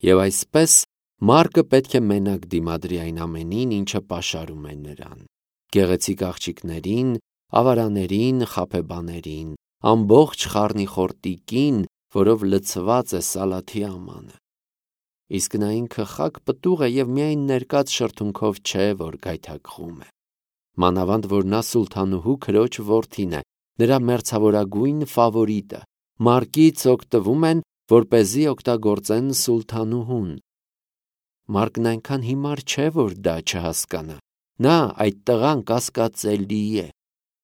Եվ այսպես Մարկը պետք է մենակ դիմադրի այն ամենին, ինչը պաշարում է նրան. գեղեցիկ աղջիկներին, ավարաներին, խաբեբաներին, ամբողջ խառնիխորտիկին, որով լցված է Սալաթի ամանը։ Իսկ նա ինքը խակ պտուղ է և միայն ներկած շրթունքով չէ, որ գայթակղում է։ Մանավանդ, որ նա սուլթանուհու քրոջ որդին է, նրա մերձավորագույն ֆավորիտը, Մարկից օգտվում են, որպեսզի օգտագործեն սուլթանուհուն։ Մարկն այնքան հիմար չէ, որ դա չհասկանա։ Նա այդ տղան կասկածելի է։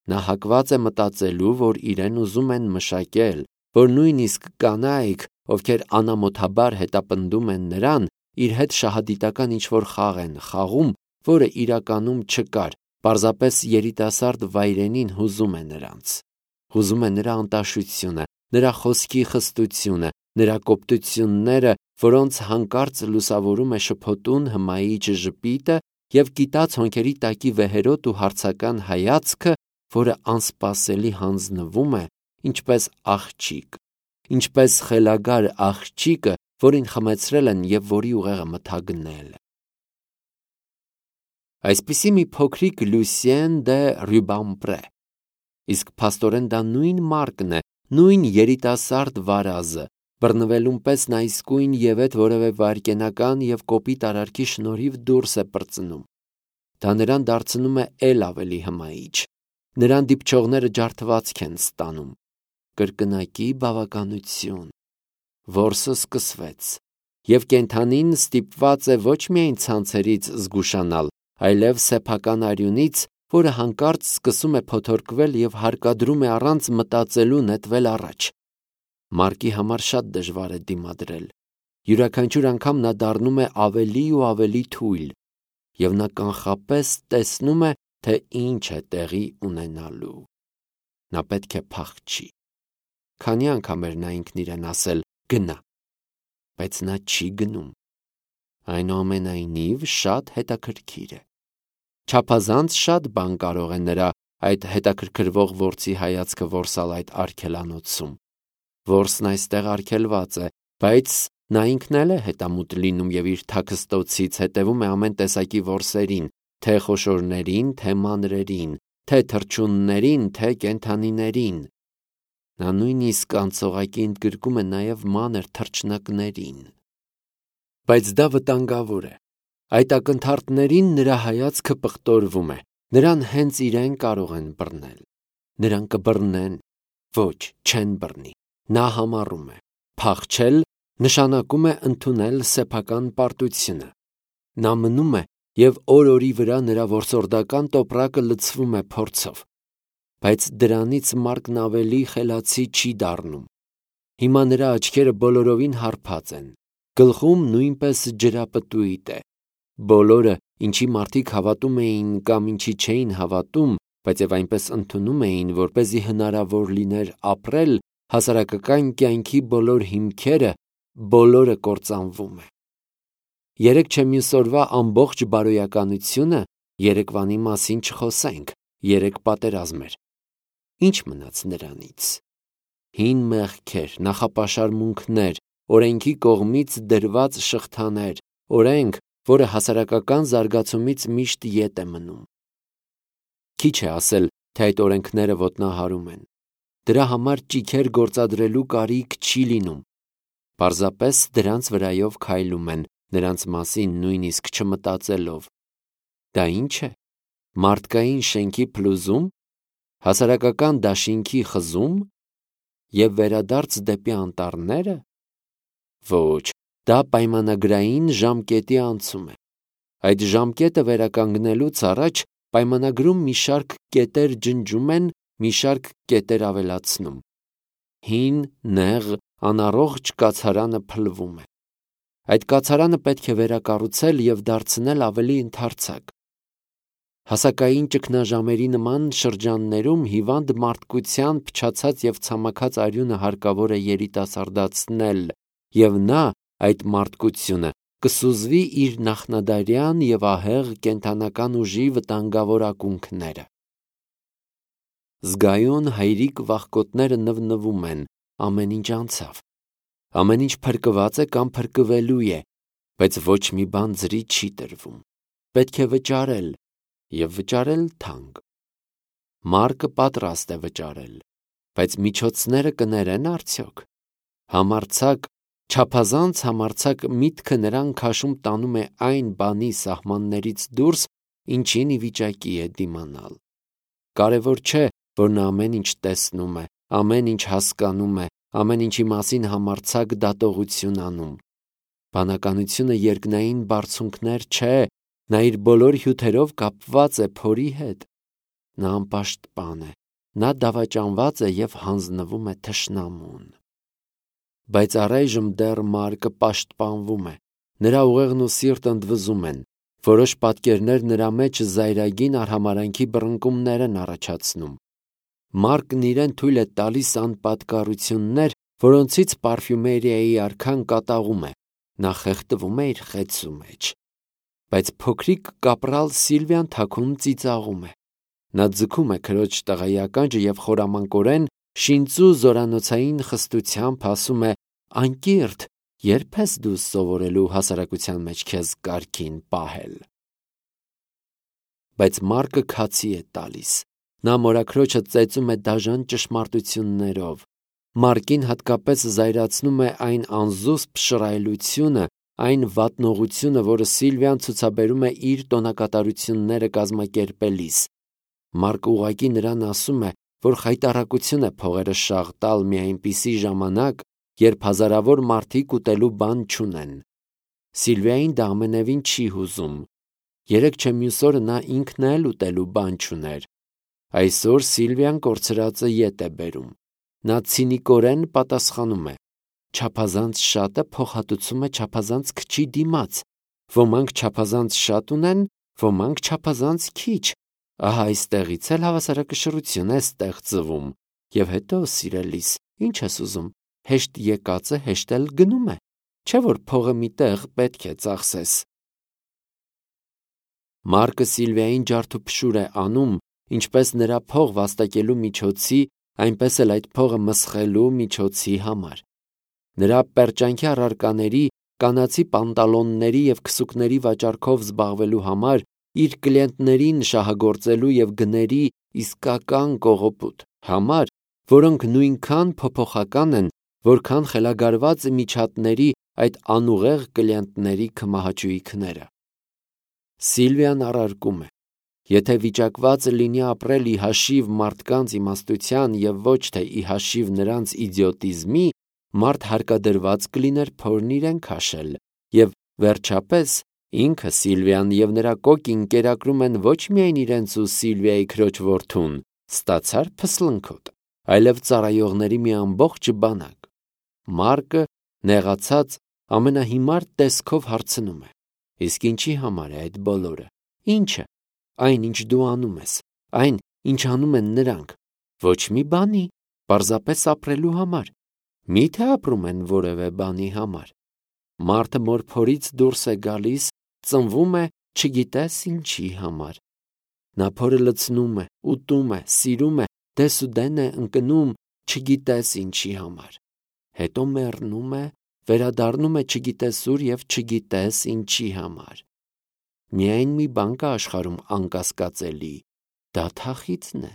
Նա հակված է մտածելու, որ իրեն ուզում են մշակել, որ նույնիսկ կանայք, ովքեր անամոթաբար հետապնդում են նրան, իր հետ շահադիտական ինչ-որ խաղ են խաղում, որը իրականում չկար, պարզապես երիտասարդ վայրենին հուզում է նրանց։ Հուզում է նրա անտաշությունը, նրա խոսքի խստությունը, նրա կոպտությունները, որոնց հանկարծ լուսավորում է շփոթուն հմայիչ ժպիտը և կիտած հոնքերի տակի վեհերոտ ու հարցական հայացքը, որը անսպասելի հանձնվում է, ինչպես աղջիկ, ինչպես խելագար աղջիկը, որին խմեցրել են և որի ուղեղը մթագնել։ Այսպիսի մի փոքրիկ Լուսիեն դե Ռյուբամպրե։ Իսկ փաստորեն դա նույն Մարկն է, նույն երիտասարդ վարազը, բռնվելուն պես նա իսկույն ևեթ որևէ վայրկենական և կոպիտ արարքի շնորհիվ դուրս է պրծնում։ Դա նրան դարձնում է էլ ավելի հմայիչ։ Նրան դիպչողները ջարդվածք են ստանում։ Կրկնակի բավականություն։ Որսը սկսվեց։ Եվ կենդանին ստիպված է ոչ միայն ցանցերից զգուշանալ, այլև սեփական արյունից, որը հանկարծ սկսում է փոթորկվել և հարկադրում է առանց մտածելու նետվել առաջ։ Մարկի համար շատ դժվար է դիմադրել։ Յուրաքանչյուր անգամ նա դառնում է ավելի ու ավելի թույլ, և նա կանխապես տեսնում է, թե ինչ է տեղի ունենալու։ Նա պետք է փախչի։ Քանի անգամ էր նա ինքն իրեն ասել «գնա», բայց նա չի գնում։ Այնուամենայնիվ շատ հետաքրքիր է։ Չափազանց շատ բան կարող է նրա այդ հետաքրքրվող որսի հայացքը որսալ այդ արգելանոցում։ Որսն այստեղ արգելված է, բայց նա ինքն էլ է հետամուտ լինում և իր թաքստոցից հետևում է ամեն տեսակի որսերին, թե խոշորներին, թե մանրերին, թե թռչուններին, թե կենդանիներին։ Նա նույնիսկ անցողակի ընդգրկում է նաև մանր թռչնակներին։ Բայց դա վտանգավոր է։ Այդ ակնթարթներին նրա հայացքը պղտորվում է։ Նրան հենց իրեն կարող են բռնել։ Նրան կբռնեն։ Ոչ, չեն բռնի։ Նա համառում է։ Փախչել նշանակում է ընդունել սեփական պարտությունը։ Նա մնում է, և օր-օրի վրա նրա որսորդական տոպրակը լցվում է փորձով։ Բայց դրանից Մարկն ավելի խելացի չի դառնում։ Հիմա նրա աչքերը բոլորովին հարբած են։ Գլխում նույնպես ջրապտույտ է։ Բոլորը, ինչի մարդիկ հավատում էին կամ ինչի չէին հավատում, բայց և այնպես ընդունում էին, որպեսզի հնարավոր լիներ ապրել, հասարակական կյանքի բոլոր հիմքերը, բոլորը կործանվում է։ Երեկ չէ մյուս օրվա ամբողջ բարոյականությունը, երեկվանի մասին չխոսենք, երեկ պատերազմ էր։ Ինչ մնաց նրանից։ Հին մեղքեր, նախապաշարմունքներ, օրենքի կողմից դրված շղթաներ, օրենք, որը հասարակական զարգացումից միշտ ետ է մնում։ Քիչ է ասել, թե այդ օրենքները ոտնահարում են։ Դրա համար ճիգեր գործադրելու կարիք չի լինում։ Պարզապես դրանց վրայով քայլում են, նրանց մասին նույնիսկ չմտածելով։ Դա ի՞նչ է։ Մարդկային շենքի փլուզում, հասարակական դաշինքի խզում և վերադարձ դեպի անտառները։ Ոչ, դա պայմանագրային ժամկետի անցում է։ Այդ ժամկետը վերականգնելուց առաջ պայմանագրում մի շարք կետեր ջնջում են, մի շարք կետեր ավելացնում։ Հին, նեղ, անառողջ կացարանը փլվում է։ Այդ կացարանը պետք է վերակառուցել և դարձնել ավելի ընդարձակ։ Հասակային ճգնաժամերի նման շրջաններում հիվանդ մարդկության փչացած և ցամաքած արյունը հարկավոր է երիտասարդացնել, և նա, այդ մարդկությունը, կսուզվի իր նախնադարյան և ահեղ կենդանական ուժի վտանգավոր ակունքները։ Զգայուն հայրիկ վախկոտները նվնվում են, ամեն ինչ անցավ։ Ամեն ինչ փրկված է կամ փրկվելու է, բայց ոչ մի բան ձրի չի տրվում։ Պետք է վճարել, եւ վճարել թանկ։ Մարկը պատրաստ է վճարել, բայց միջոցները կներեն արդյոք։ Համարձակ, չափազանց համարձակ միտքը նրան քաշում տանում է այն բանի սահմաններից դուրս, ինչին ի վիճակի է դիմանալ։ Կարևոր չէ, որ նա ամեն ինչ տեսնում է, ամեն ինչ հասկանում է, ամեն ինչի մասին համարձակ դատողություն անում։ Բանականությունը երկնային բարձունքներ չէ, նա իր բոլոր հյութերով կապված է փորի հետ։ Նա անպաշտպան է, նա դավաճանված է և հանձնվում է թշնամուն։ Բայց առայժմ դեռ Մարկը պաշտպանվում է, նրա ուղեղն ու սիրտը ընդվզում են, որոշ պատկերներ նրա մեջ զայրագին արհամարհանքի բռնկումներ են առաջացնում։ Մարկն իրեն թույլ է տալիս անպատկառություններ, որոնցից պարֆյումերիայի արքան կատաղում է, նա խեղդվում է իր խեցու մեջ։ Բայց փոքրիկ կապրալ Սիլվիան թաքուն ծիծաղում է։ Նա ձգում է քրոջ տղայի և խորամանկորեն շինծու զորանոցային խստությամբ ասում է. «Անկիրթ, երբ ես դու սովորելու հասարակության մեջ քեզ կարգին պահել»։ Բայց Մարկը քացի է տալիս։ Նա մորաքրոջը ծեծում է դաժան ճշմարտություններով։ Մարկին հատկապես զայրացնում է այն անզուսպ շռայլությունը, այն վատնողությունը, որը Սիլվիան ցուցաբերում է իր տոնակատարությունները կազմակերպելիս։ Մարկը ուղղակի նրան ասում է, որ խայտառակություն է փողերը շաղ տալ մի այնպիսի ժամանակ, երբ հազարավոր մարդիկ ուտելու բան չունեն։ Սիլվիային դա ամենևին չի հուզում։ Երեկ չէ մյուս օրը նա ինքն էլ ուտելու բան չուներ։ Այսօր Սիլվիան կորցրածը ետ է բերում։ Նա ցինիկորեն պատասխանում է. չափազանց շատը փոխհատուցում է չափազանց քչի դիմաց։ Ոմանք չափազանց շատ ունեն, ոմանք չափազանց քիչ։ Ահա այստեղից էլ հավասարակշռություն է ստեղծվում։ Եվ հետո, սիրելիս, ինչ ես ուզում, հեշտ եկածը հեշտ էլ գնում է, չէ՞ որ փողը մի տեղ պետք է ծախսես։ Մարկը Սիլվիային ջարդուփշուր է անում, ինչպես նրա փող վաստակելու միջոցի, այնպես էլ այդ փողը մսխելու միջոցի համար։ Նրա պերճանքի առարկաների, կանացի պանտալոնների և քսուկների վաճառքով զբաղվելու համար, իր կլիենտներին շահագործելու և գների իսկական կողոպուտ համար, որոնք նույնքան փոփոխական են, որքան խելագարված միջատների այդ անուղեղ կլիենտների քմահաճույքները։ Սիլվիան առարկում է. եթե վիճակված լինի ապրել ի հաշիվ մարդկանց իմաստության և ոչ թե ի հաշիվ նրանց իձիոտիզմի, մարդ հարկադրված կլիներ փորն իրեն քաշել, և վերջապես ինքը Սիլվիան և նրա կոկին կերակրում են ոչ միայն իրենց ու Սիլվիայի քրոջ որդուն, ստացար փսլնքոտ, այլև ծառայողների մի ամբողջ բանակ։ Մարկը, նեղացած, ամենահիմար տեսքով հարցնում է. իսկ ինչի համար է այդ բոլորը։ Ի՞նչը։ Այն, ինչ դու անում ես, այն, ինչ անում են նրանք։ Ոչ մի բանի, պարզապես ապրելու համար։ Մի՞թե ապրում են որևէ բանի համար։ Մարդը մորփորից դուրս է գալիս, ծնվում է, չգիտես ինչի համար։ Նա փորը լցնում է, ուտում է, սիրում է, դեսուդեն է ընկնում, չգիտես ինչի համար։ Հետո մեռնում է, վերադառնում է չգիտես ուր և չգիտես ինչի համար։ Միայն մի բան կա աշխարհում անկասկածելի, դա թախիծն է։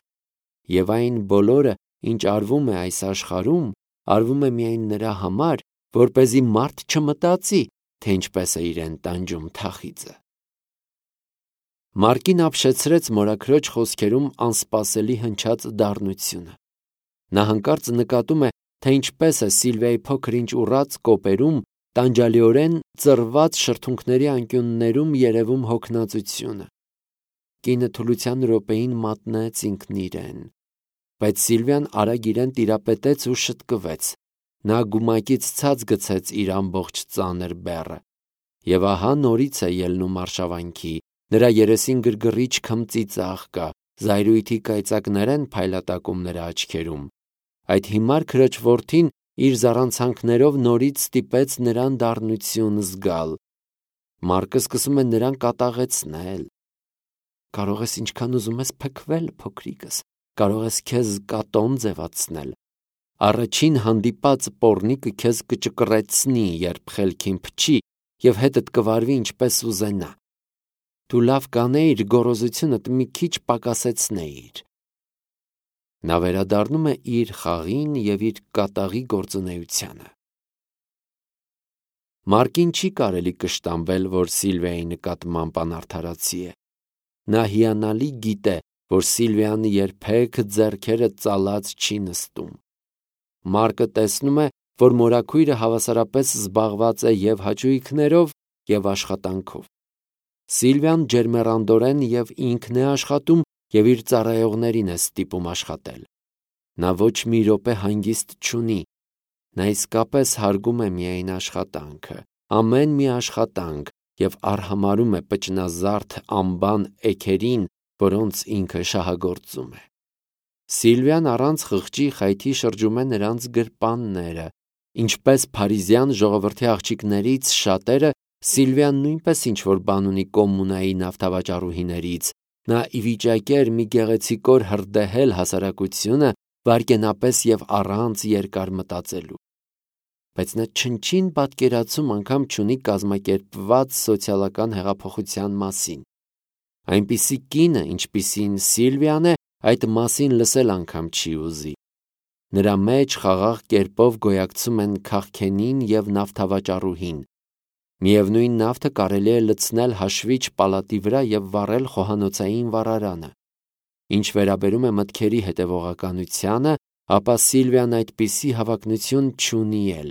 Եվ այն բոլորը, ինչ արվում է այս աշխարհում, արվում է միայն նրա համար, որպեսզի մարդ չմտածի, թե ինչպես է իրեն տանջում թախիծը։ Մարկին ապշեցրեց մորաքրոջ խոսքերում անսպասելի հնչած դառնությունը։ Նա հանկարծ նկատում է, թե ինչպես է Սիլվիայի փոքր-ինչ ուռած կոպերում, տանջալիորեն ծռված շրթունքների անկյուններում երևում հոգնածությունը։ Կինը թուլության րոպեին մատնեց ինքն իրեն։ Բայց Սիլվիան արագ իրեն տիրապետեց ու շտկվեց։ Նա գումակից ցած գցեց իր ամբողջ ծանր բեռը։ Եվ ահա նորից է ելնում արշավանքի, նրա երեսին գրգռիչ քմծիծաղ կա, զայրույթի կայծակներ են փայլատակում նրա աչքերում։ Այդ հիմար քրոջ որդին իր զառանցանքներով նորից ստիպեց նրան դառնություն զգալ։ Մարկը սկսում է նրան կատաղեցնել։ Կարող ես ինչքան ուզում ես փքվել, փոքրիկս, կարող ես քեզ կատոն ձևացնել։ Առաջին հանդիպած պոռնիկը քեզ կճկռեցնի, երբ խելքին փչի, և հետդ կվարվի ինչպես ուզենա։ Դու լավ կանեիր գոռոզությունդ մի քիչ պակասեցնեիր։ Նա վերադառնում է իր խաղին և իր կատաղի գործունեությանը։ Մարկին չի կարելի կշտամբել, որ Սիլվիայի նկատմամբ անարդարացի է։ Նա հիանալի գիտե, որ Սիլվիան երբեք ձեռքերը ծալած չի նստում։ Մարկը տեսնում է, որ մորաքույրը հավասարապես զբաղված է և հաճույքներով, և աշխատանքով։ Սիլվիան ջերմեռանդորեն և ինքն է աշխատում և իր ծառայողներին է ստիպում աշխատել։ Նա ոչ մի րոպե հանգիստ չունի։ Նա իսկապես հարգում է միայն աշխատանքը, ամեն մի աշխատանք, և արհամարհում է պճնազարդ անբան էգերին, որոնց ինքը շահագործում է։ Սիլվիան առանց խղճի խայթի շրջում է նրանց գրպանները։ Ինչպես փարիզյան ժողովրդի աղջիկներից շատերը, Սիլվիան նույնպես ինչ-որ բան ունի կոմունայի նավթավաճառուհիներից։ Նա ի վիճակի էր մի գեղեցիկոր հրդեհել հասարակությունը վայրկենապես և առանց երկար մտածելու։ Բայց նա չնչին պատկերացում անգամ չունի կազմակերպված սոցիալական հեղափոխության մասին։ Այնպիսի կինը, ինչպիսին Սիլվիան է, այդ մասին լսել անգամ չի ուզի։ Նրա մեջ խաղաղ կերպով գոյակցում են քաղքենին և նավթավաճառուհին։ Միևնույն նավթը կարելի է լցնել հաշվիչ պալատի վրա և վառել խոհանոցային վառարանը։ Ինչ վերաբերում է մտքերի հետևողականությանը, ապա Սիլվիան այդպիսի հավակնություն չունի էլ։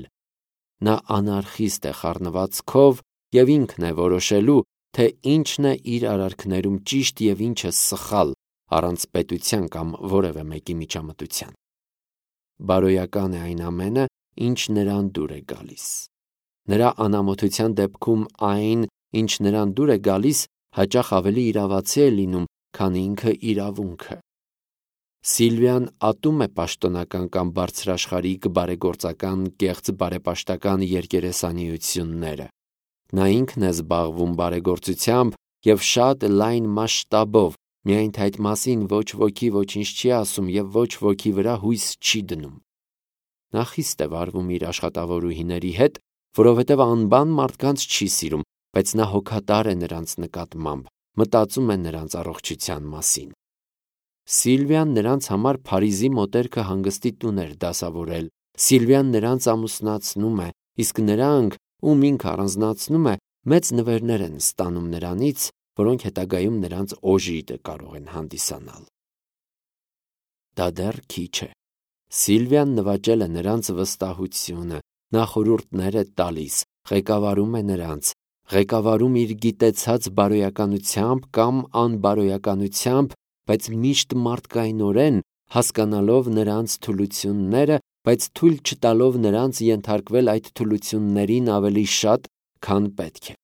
Նա անարխիստ է խառնվածքով և ինքն է որոշելու, թե ինչն է իր արարքներում ճիշտ և ինչը սխալ, առանց պետության կամ որևէ մեկի միջամտության։ Բարոյական է այն ամենը, ինչ նրան դուր է գալիս։ Նրա անամոթության դեպքում այն, ինչ նրան դուր է գալիս, հաճախ ավելի իրավացի է լինում, քան ինքը իրավունքը։ Սիլվիան ատում է պաշտոնական կամ բարձրաշխարհիկ բարեգործական կեղծ բարեպաշտական երկերեսանիությունները։ Նա ինքն է զբաղվում բարեգործությամբ և շատ լայն մասշտաբով, միայն թե այդ մասին ոչ ոքի ոչինչ չի ասում և ոչ ոքի վրա հույս չի դնում։ Նա խիստ է վարվում իր աշխատավորուհիների հետ, որովհետև անբան մարդկանց չի սիրում, բայց նա հոգատար է նրանց նկատմամբ, մտածում է նրանց առողջության մասին։ Սիլվիան նրանց համար Փարիզի մոտերքը հանգստի տուն էր դասավորել։ Սիլվիան նրանց ամուսնացնում է, իսկ նրանք, ում ինքը առանձնացնում է, մեծ նվերներ են ստանում նրանից, որոնք հետագայում նրանց օժիտը կարող են հանդիսանալ։ Դա դեռ քիչ է։ Սիլվիան նվաճել է նրանց վստահությունը, նա խորհուրդներ է տալիս, ղեկավարում է նրանց, ղեկավարում իր գիտեցած բարոյականությամբ կամ անբարոյականությամբ, բայց միշտ մարդկայնորեն, հասկանալով նրանց թուլությունները, բայց թույլ չտալով նրանց ենթարկվել այդ թուլություններին ավելի շատ, քան պետք է։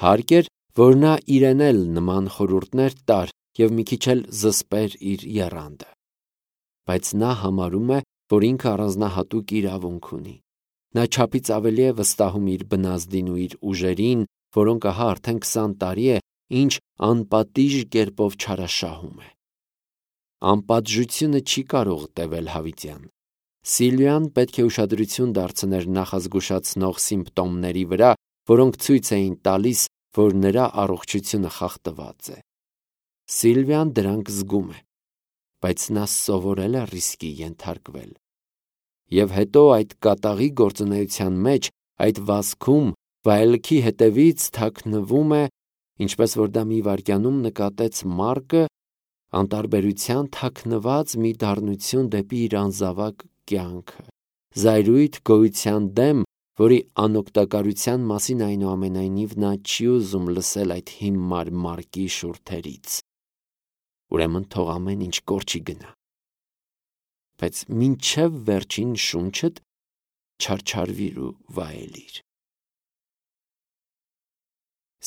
Հարկ էր, որ նա իրեն էլ նման խորհուրդներ տար և մի քիչ էլ զսպեր իր եռանդը։ Բայց նա համարում է, որ ինքը առանձնահատուկ իրավունք ունի։ Նա չափից ավելի է վստահում իր բնազդին ու իր ուժերին, որոնք ահա արդեն 20 տարի է, ինչ անպատիժ կերպով չարաշահում է։ Անպատժությունը չի կարող տևել հավիտյան։ Սիլվիան պետք է ուշադրություն դարձներ նախազգուշացնող սիմպտոմների վրա, որոնք ցույց էին տալիս, որ նրա առողջությունը խախտված է։ Սիլվիան դրանք զգում է, բայց նա սովորել է ռիսկի ենթարկվել։ Եվ հետո այդ կատաղի գործունեության մեջ, այդ վազքում, վայելքի հետևից թաքնվում է, ինչպես որ դա մի վայրկյանում նկատեց Մարկը, անտարբերության թաքնված մի դառնություն դեպի իր անզավակ կյանքը, զայրույթ գոյության դեմ, որի անօգտակարության մասին այնուամենայնիվ նա չի ուզում լսել այդ հիմար Մարկի շուրթերից։ Ուրեմն թող ամեն ինչ կորչի գնա։ Բայց մինչև վերջին շունչդ չարչարվիր ու վայելիր։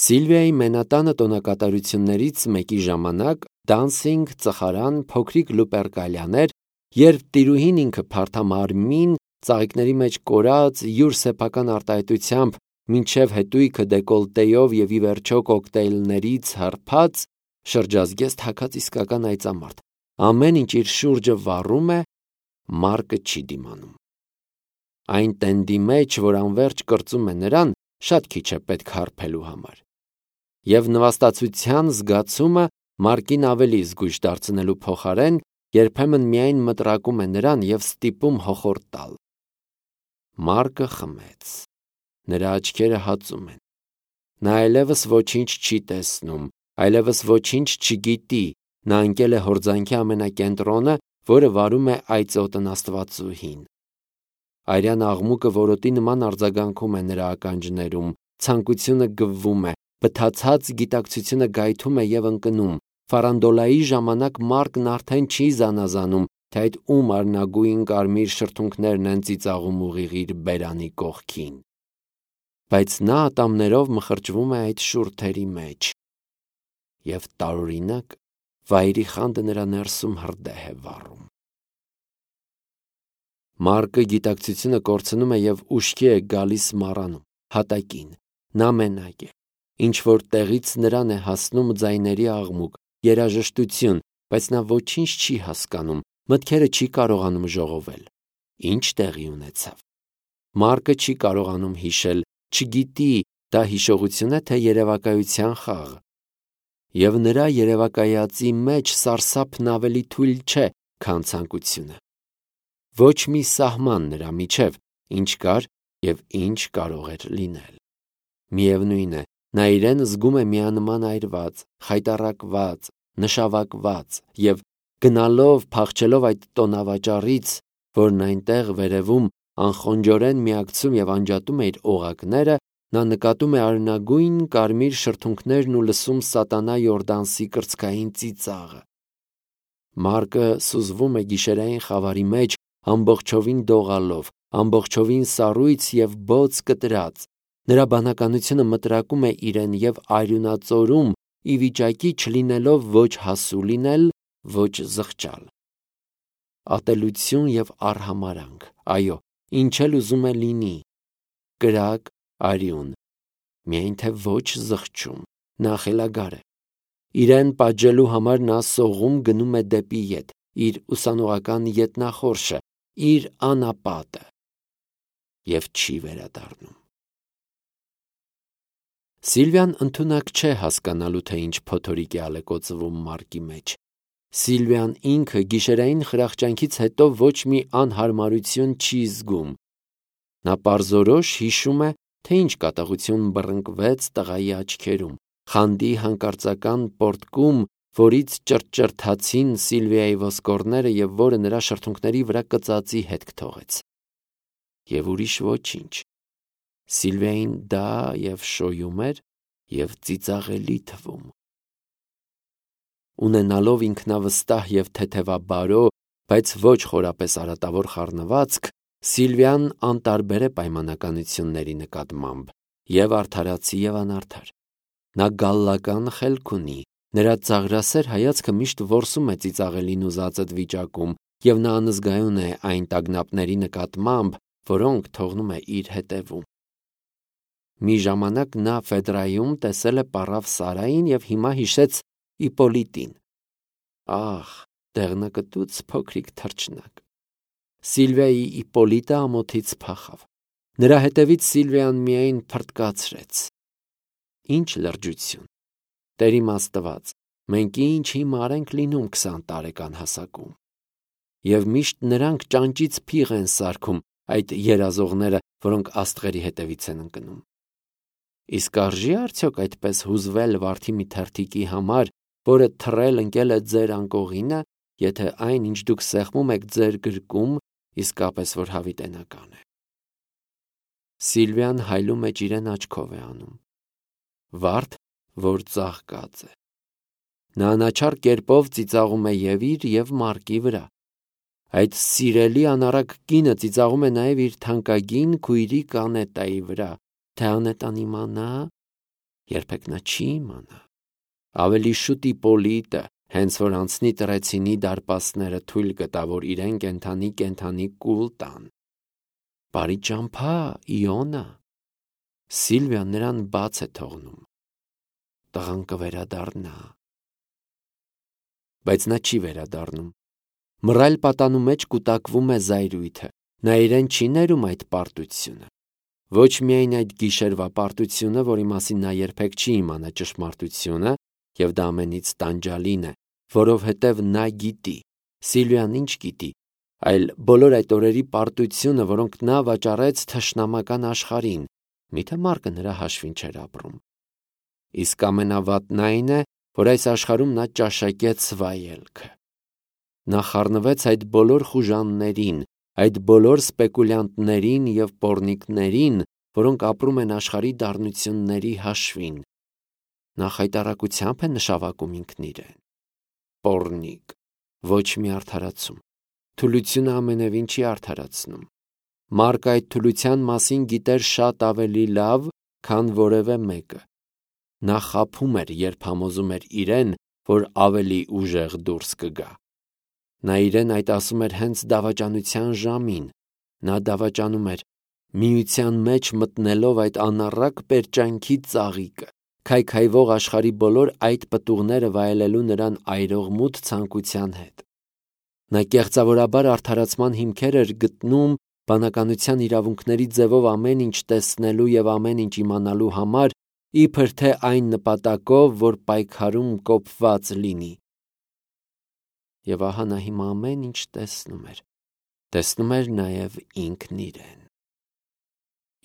Սիլվիայի մենատանը տոնակատարություններից մեկի ժամանակ դանսինգ, ծխարան, փոքրիկ Լուպերկալիան էր, երբ տիրուհին ինքը փարթամարմին, ծաղիկների մեջ կորած, յուր սեփական արտահայտությամբ մինչև հետույքը դեկոլտեյով և ի վերջո կոկտեյլներից հարբած, շրջազգեստ թաքած իսկական այծամարդ, ամեն ինչ իր շուրջը վառում է, Մարկը չի դիմանում։ Այն տենդի մեջ, որ անվերջ կրծում է նրան, շատ քիչ է պետք հարբելու համար։ Եվ նվաստացության զգացումը Մարկին ավելի զգույշ դարձնելու փոխարեն երբեմն միայն մտրակում է նրան և ստիպում հոխորտ տալ։ Մարկը խմեց։ Նրա աչքերը հածում են։ Նա այլևս ոչինչ չի տեսնում, այլևս ոչինչ չգիտի, նա ընկել է հորձանքի ամենակենտրոնը, որը վարում է այծոտն Աստվածուհին։ Արյան աղմուկը որոտի նման արձագանքում է նրա ականջներում, ցանկությունը գվվում է, բթացած գիտակցությունը գայթում է և ընկնում։ Ֆարանդոլայի ժամանակ Մարկն արդեն չի զանազանում, թե այդ ում արնագույն կարմիր շրթունքներն են ծիծաղում ուղիղ իր բերանի կողքին։ Բայց նա ատամներով մխրճվում է այդ շուրթերի մեջ, և տարօրինակ վայրի խանդը նրա ներսում հրդեհ է վառում։ Մարկը գիտակցությունը կորցնում է և ուշքի է գալիս մառանում, հատակին։ Նա մենակ է։ Ինչ-որ տեղից նրան է հասնում ձայների աղմուկ, երաժշտություն, բայց նա ոչինչ չի հասկանում, մտքերը չի կարողանում ժողովել։ Ինչ տեղի ունեցավ։ Մարկը չի կարողանում հիշել, չգիտի, դա հիշողություն է, թե երևակայության խաղ։ Եվ նրա երևակայածի մեջ սարսափն ավելի թույլ չէ, քան ցանկությունը։ Ոչ մի սահման նրա միջև, ինչ կար և ինչ կարող էր լինել։ Միևնույն է, նա իրեն զգում է միանման այրված, խայտառակված, նշավակված և գնալով, փախչելով այդ տոնավաճառից, որն այնտեղ վերևում անխոնջորեն միակցում և անջատում է իր օղակները, նա նկատում է արնագույն կարմիր շրթունքներն ու լսում սատանա Յորդանսի կրծքային ծիծաղը։ Մարկը սուզվում է գիշերային խավարի մեջ, ամբողջովին դողալով, ամբողջովին սառույց և բոց կտրած։ Նրա բանականությունը մտրակում է իրեն և արյունածորում, ի վիճակի չլինելով ոչ հասու լինել, ոչ զղջալ։ Ատելություն և արհամարհանք, այո, ինչ էլ ուզում է լինի։ Կրակ, արյուն, միայն թե ոչ զղջում, նա խելագար է։ Իրեն պատժելու համար նա սողում գնում է դեպի ետ, իր ուսանողական ետնախորշը, իր անապատը, և չի վերադառնում։ Սիլվիան ընդունակ չէ հասկանալու, թե ինչ փոթորիկ է ալեկոծվում Մարկի մեջ։ Սիլվիան ինքը գիշերային խրախճանքից հետո ոչ մի անհարմարություն չի զգում։ Նա պարզորոշ հիշում է, թե ինչ կատաղություն բռնկվեց տղայի աչքերում, խանդի հանկարծական պոռթկում, որից ճրճրթացին Սիլվիայի ոսկորները և որը նրա շրթունքների վրա կծածի հետք թողեց։ Եվ ուրիշ ոչինչ։ Սիլվիային դա և շոյում էր, և ծիծաղելի թվում։ Ունենալով ինքնավստահ և թեթևաբարո, բայց ոչ խորապես արատավոր խառնվածք, Սիլվիան անտարբեր է պայմանականությունների նկատմամբ, և արդարացի և անարդար։ Նա գալլական խելք ունի, նրա ծաղրասեր հայացքը միշտ որսում է ծիծաղելին ու զածդ վիճակում, և նա անզգայուն է այն տագնապների նկատմամբ, որոնք թողնում է իր հետևում։ Մի ժամանակ նա Ֆեդրայում տեսել է պառավ Սարային և հիմա հիշեց Իպոլիտին։ Ահ, դեղնակտուց փոքրիկ թռչնակ։ Սիլվիայի Իպոլիտը ամոթից փախավ։ Նրա հետևից Սիլվիան միայն փռթկացրեց։ Ինչ լրջություն։ Տեր իմ Աստված, մենք ինչ հիմար ենք լինում 20 տարեկան հասակում։ Եվ միշտ նրանք ճանճից փիղ են սարքում, այդ երազողները, որոնք աստղերի հետևից են ընկնում։ Իսկ արժի՞ արդյոք այդպես հուզվել վարդի մի թերթիկի համար, որը թռել ընկել է ձեր անկողինը, եթե այն, ինչ դուք սեղմում եք ձեր գրկում, իսկապես որ հավիտենական է։ Սիլվիան հայլու մեջ իրեն աչքով է անում։ Վարդ, որ ծաղկած է։ Նա անաչառ կերպով ծիծաղում է և իր, և Մարկի վրա։ Այդ սիրելի անառակ կինը ծիծաղում է նաև իր թանկագին քույրիկ Անետայի վրա, թե Անետան իմանա, երբեք նա չի իմանա։ Ավելի շուտ Իպոլիտը, հենց որ անցնի Տրեցինի դարպասները, թույլ կտա, որ իրեն կենդանի կուլ տան։ Բարի ճամփա, Իոնա։ Սիլվիան նրան բաց է թողնում։ Տղան կվերադառնա։ Բայց նա չի վերադառնում։ Մռայլ պատանու մեջ կուտակվում է զայրույթը։ Նա իրեն չի ներում այդ պարտությունը։ ոչ միայն այդ գիշերվա պարտությունը, որի մասին նա երբեք չի իմանա ճշմարտությունը, եւ դա ամենից տանջալին է, որովհետեւ նա գիտի, Սիլվիան ինչ գիտի, այլ բոլոր այդ օրերի պարտությունը, որոնք նա վաճառեց թշնամական աշխարհին, միթե Մարկը նրա հաշվին չէր ապրում։ Իսկ ամենավատն այն է, որ այս աշխարհում նա ճաշակեց վայելքը։ Նա խառնվեց այդ բոլոր խուժաններին, այդ բոլոր սպեկուլյանտներին եւ պոռնիկներին, որոնք ապրում են աշխարհի դառնությունների հաշվին։ Նա խայտառակությամբ է նշավակում ինքն իրեն։ Պոռնիկ, ոչ մի արդարացում։ Թուլությունը ամենևին չի արդարացնում։ Մարկը այդ թուլության մասին գիտեր շատ ավելի լավ, քան որևէ մեկը։ Նա խաբում էր, երբ համոզում էր իրեն, որ ավելի ուժեղ դուրս կգա։ Նա իրեն այդ ասում էր հենց դավաճանության ժամին։ Նա դավաճանում էր, միության մեջ մտնելով այդ անառակ պերճանքի ծաղիկը, քայքայվող աշխարհի բոլոր այդ պտուղները վայելելու նրան այրող մութ ցանկության հետ։ Նա կեղծավորաբար արդարացման հիմքեր էր գտնում բանականության իրավունքների ձևով ամեն ինչ տեսնելու եւ ամեն ինչ իմանալու համար, իբր թե այն նպատակով, որ պայքարում կոփված լինի։ Եվ ահա նա հիմա ամեն ինչ տեսնում էր նաև ինքն իրեն։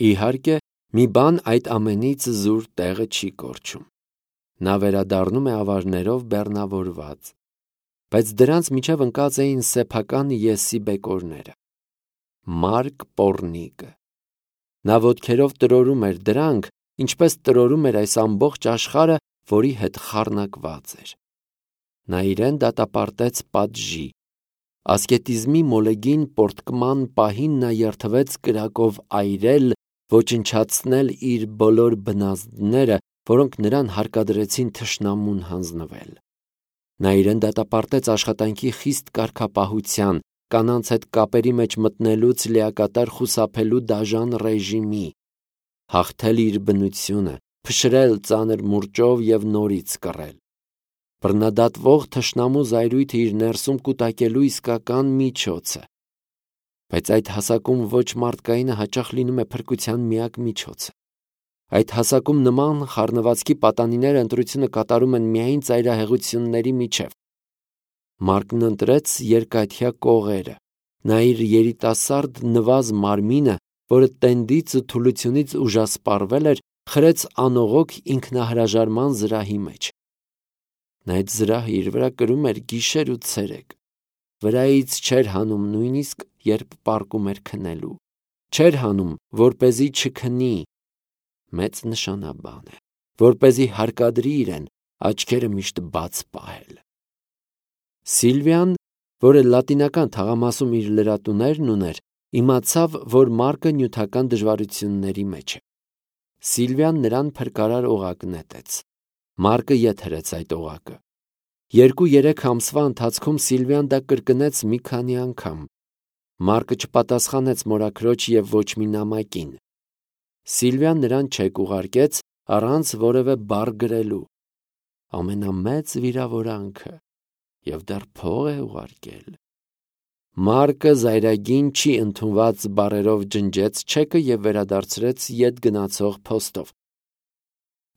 Իհարկե, մի բան այդ ամենից զուր տեղը չի կորչում։ Նա վերադառնում է ավարներով բեռնավորված, բայց դրանց միջև ընկած էին սեփական եսի բեկորները։ Մարկ պոռնիկը։ Նա ոտքերով տրորում էր դրանք, ինչպես տրորում էր այս ամբողջ աշխարհը, որի հետ խառնակված էր։ Նա իրեն դատապարտեց պատժի։ Ասկետիզմի մոլեգին պորտկման պահին նա երթվեց կրակով այրել, ոչնչացնել իր բոլոր բնազդները, որոնք նրան հարկադրեցին թշնամուն հանձնվել։ Նա իրեն դատապարտեց աշխատանքի խիստ կարգապահության, կանանց հետ կապերի մեջ մտնելուց լիակատար խուսափելու դաժան ռեժիմի, հաղթել իր բնությունը, փշրել ծանր մուրճով եւ նորից կռել։ Բռնադատվող թշնամու զայրույթը իր ներսում կուտակելու իսկական միջոցը։ Բայց այդ հասակում ոչ մարդկայինը հաճախ լինում է փրկության միակ միջոցը։ Այդ հասակում նման խառնվածքի պատանիները ընտրությունը կատարում են միայն ծայրահեղությունների միջև։ Մարկն ընտրեց երկաթյա կողերը։ Նա իր երիտասարդ նվազ մարմինը, որը տենդից ու թուլությունից ուժասպառվել էր, խրեց անողոք ինքնահրաժարման զրահի մեջ։ Նա այդ զրահը իր վրա կրում էր գիշեր ու ցերեկ։ Վրայից չէր հանում նույնիսկ, երբ պառկում էր քնելու։ Չէր հանում, որպեսզի չքնի։ Մեծ նշանաբան է, որպեսզի հարկադրի իրեն աչքերը միշտ բաց պահել։ Սիլվիան, որը լատինական թաղամասում իր լրատուներն ուներ, իմացավ, որ Մարկը նյութական դժվարությունների մեջ է։ Սիլվիան նրան փրկարար օղակ նետեց։ Մարկը ետ հրեց այդ օղակը։ 2-3 ամսվա ընթացքում Սիլվիան դա կրկնեց մի քանի անգամ։ Մարկը չպատասխանեց մորաքրոջ եւ ոչ մի նամակին։ Սիլվիան նրան չեկ ուղարկեց առանց որևէ բառ գրելու։ Ամենամեծ վիրավորանքը եւ դեռ փող է ուղարկել։ Մարկը զայրագին չի ընդունված բառերով ջնջեց չեկը եւ վերադարձրեց ետ գնացող փոստով։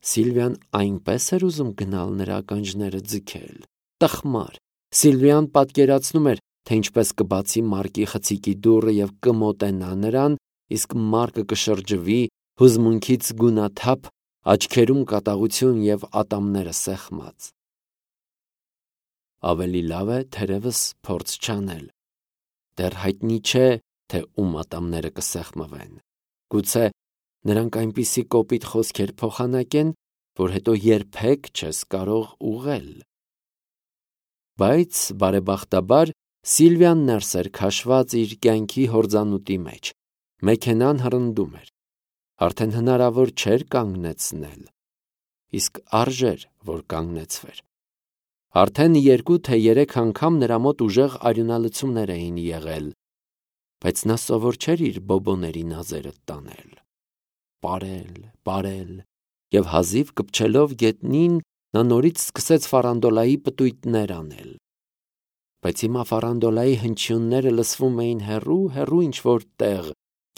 Սիլվիան այնպես էր ուզում գնալ նրա ականջները ձգել։ Տխմար։ Սիլվիան պատկերացնում էր, թե ինչպես կբացի Մարկի խցիկի դուռը եւ կմոտենա նրան, իսկ Մարկը կշրջվի, հուզմունքից գունաթափ, աչքերում կատաղություն եւ ատամները սեղմած։ Ավելի լավ է թերևս փորձ չանել։ Դեռ հայտնի չէ, թե ում ատամները կսեղմվեն։ Գուցե նրանք այնպիսի կոպիտ խոսքեր փոխանակեն, որ հետո երբեք չես կարող ուղղել։ Բայց բարեբախտաբար Սիլվիան ներս էր քաշված իր կյանքի հորձանուտի մեջ։ Մեքենան հռնդում էր։ Արդեն հնարավոր չէր կանգնեցնել։ Իսկ արժեր, որ կանգնեցվեր։ Արդեն 2 թե 3 անգամ նրա մոտ ուժեղ արյունալցումներ էին եղել, բայց նա սովոր չէր իր բոբոների նազերը տանել։ Պարել, եւ հազիվ կպչելով գետնին, նա նորից սկսեց ֆարանդոլայի պտույտներ անել։ Բայց հիմա ֆարանդոլայի հնչյունները լսվում էին հեռու ինչ-որ տեղ,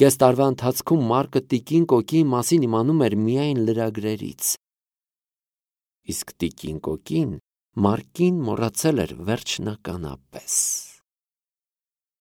Կես տարվա ընթացքում Մարկը տիկին Կոկիի մասին իմանում էր միայն լրագրերից։ Իսկ տիկին Կոկին Մարկին մոռացել էր վերջնականապես։